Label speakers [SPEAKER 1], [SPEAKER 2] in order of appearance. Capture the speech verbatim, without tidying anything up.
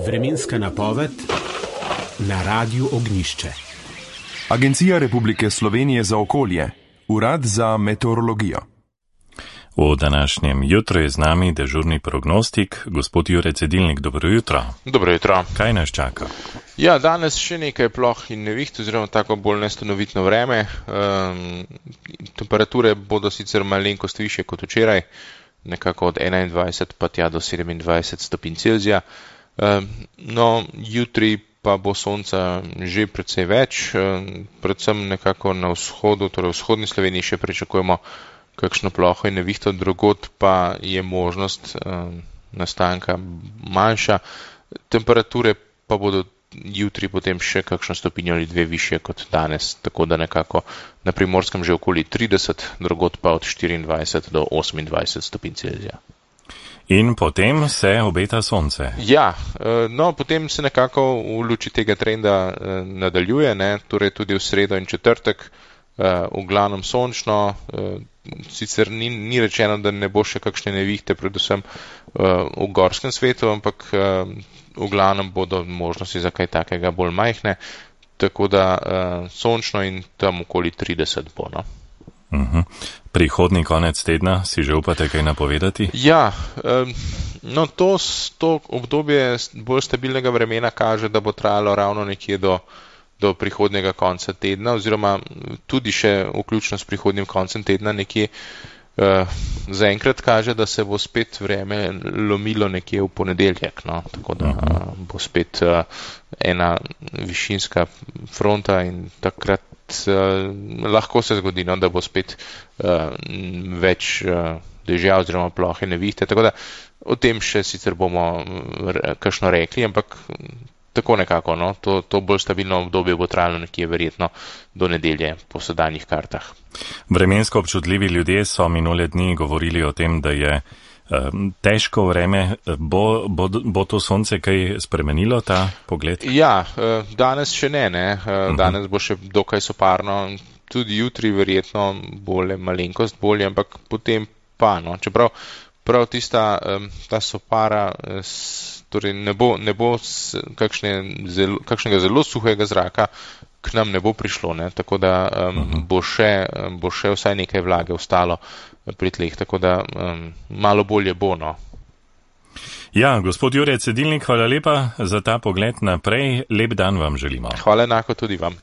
[SPEAKER 1] Vremenska napoved na Radiu Ognjišče.
[SPEAKER 2] Agencija Republike Slovenije za okolje, Urad za meteorologijo.
[SPEAKER 3] V današnjem jutru je z nami dežurni prognostik, gospod Jure Cedilnik. Dobro jutro.
[SPEAKER 4] Dobro jutro.
[SPEAKER 3] Kaj nas čaka?
[SPEAKER 4] Ja, danes še nekaj ploh in neviht, oziroma tako bolj nestanovitno vreme. Um, temperature bodo sicer malenkost više kot včeraj, nekako od enaindvajset pa tja do sedemindvajset stopinj Celzija. Um, no, jutri pa bo sonca že precej več, um, predvsem nekako na vzhodu, torej v vzhodni Sloveniji še pričakujemo kakšno ploho in nevihto, drugod pa je možnost um, nastanka manjša. Temperature pa bodo jutri potem še kakšno stopinjo ali dve višje kot danes, tako da nekako na Primorskem že okoli trideset, drugod pa od štiriindvajset do osemindvajset stopinj Celzija.
[SPEAKER 3] In potem se obeta sonce.
[SPEAKER 4] Ja, no, potem se nekako v luči tega trenda nadaljuje, ne, torej tudi v sredo in četrtek, v glavnem sončno, sicer ni, ni rečeno, da ne bo še kakšne nevihte, predvsem v gorskem svetu, ampak v glavnem bodo možnosti za kaj takega bolj majhne, tako da sončno in tam okoli trideset bo, no.
[SPEAKER 3] Uh-huh. Prihodnji konec tedna si že upate kaj napovedati?
[SPEAKER 4] Ja, no to, to obdobje bolj stabilnega vremena kaže, da bo trajalo ravno nekje do, do prihodnjega konca tedna, oziroma tudi še vključno s prihodnjim koncem tedna nekje. Zaenkrat kaže, da se bo spet vreme lomilo nekje v ponedeljek, no, tako da uh, bo spet uh, ena višinska fronta in takrat uh, lahko se zgodi, no, da bo spet uh, več uh, dežja oziroma plohe nevihte, tako da o tem še sicer bomo re, kakšno rekli, ampak tako nekako, no, to, to bolj stabilno obdobje bo trajalo nekje verjetno do nedelje po sedanjih kartah.
[SPEAKER 3] Vremensko občutljivi ljudje so minule dni govorili o tem, da je eh, težko vreme. Bo, bo, bo to sonce kaj spremenilo, ta pogled?
[SPEAKER 4] Ja, danes še ne, ne. Danes bo še dokaj soparno, tudi jutri verjetno bolje, malenkost bolje, ampak potem pa, no, čeprav prav tista ta sopara torej ne bo, ne bo kakšne zelo, kakšnega zelo suhega zraka k nam ne bo prišlo, ne, tako da um, uh-huh. bo, še, bo še vsaj nekaj vlage ostalo pri tleh, tako da um, malo bolje bo, no.
[SPEAKER 3] Ja, gospod Jure Cedilnik, hvala lepa za ta pogled naprej, lep dan vam želimo.
[SPEAKER 4] Hvala enako tudi vam.